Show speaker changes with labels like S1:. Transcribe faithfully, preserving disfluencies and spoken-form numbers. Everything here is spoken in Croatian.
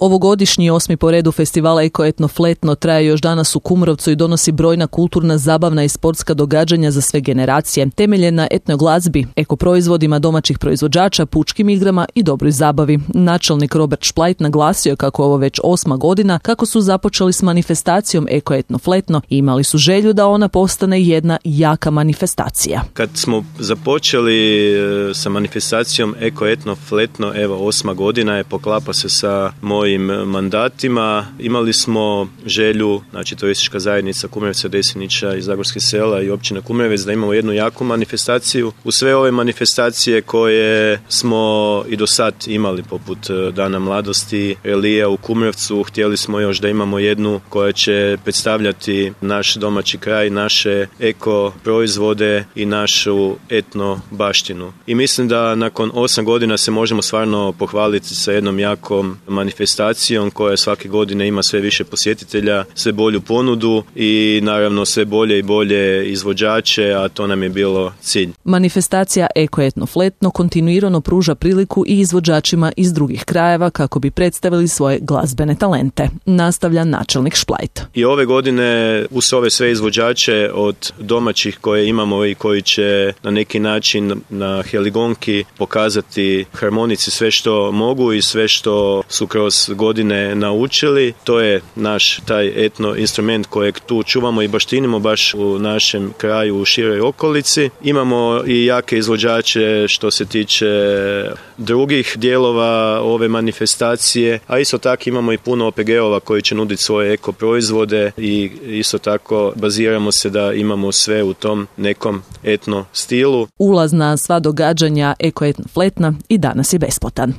S1: Ovogodišnji osmi po redu festivala Eko Etno Fletno traje još danas u Kumrovcu i donosi brojna kulturna, zabavna i sportska događanja za sve generacije, temeljen na etno glazbi, eko proizvodima domaćih proizvođača, pučkim igrama i dobroj zabavi. Načelnik Robert Šplajt naglasio kako ovo već osma godina kako su započeli s manifestacijom Eko Etno Fletno i imali su želju da ona postane jedna jaka manifestacija.
S2: Kad smo započeli sa manifestacijom Eko Etno Fletno, evo osma godina je, poklapa se sa mojim mandatima. Imali smo želju, znači turistička zajednica Kumrovca, Desinića i Zagorskih sela i općina Kumrovec, da imamo jednu jaku manifestaciju. U sve ove manifestacije koje smo i do sad imali, poput Dana mladosti, Relija u Kumrovcu, htjeli smo još da imamo jednu koja će predstavljati naš domaći kraj, naše eko proizvode i našu etno baštinu. I mislim da nakon osam godina se možemo stvarno pohvaliti sa jednom jakom manifestacijom koja svake godine ima sve više posjetitelja, sve bolju ponudu i naravno sve bolje i bolje izvođače, a to nam je bilo cilj.
S1: Manifestacija Eko Etno Fletno kontinuirano pruža priliku i izvođačima iz drugih krajeva kako bi predstavili svoje glazbene talente, nastavlja načelnik Šplajt.
S2: I ove godine uz ove sve izvođače od domaćih koje imamo i koji će na neki način na heligonki pokazati harmonici sve što mogu i sve što su kroz godine naučili. To je naš taj etno instrument kojeg tu čuvamo i baštinimo baš u našem kraju, u široj okolici. Imamo i jake izvođače što se tiče drugih dijelova ove manifestacije, a isto tako imamo i puno O P G-ova koji će nuditi svoje eko proizvode i isto tako baziramo se da imamo sve u tom nekom etno stilu.
S1: Ulaz na sva događanja Eko Etno Fletna i danas je besplatan.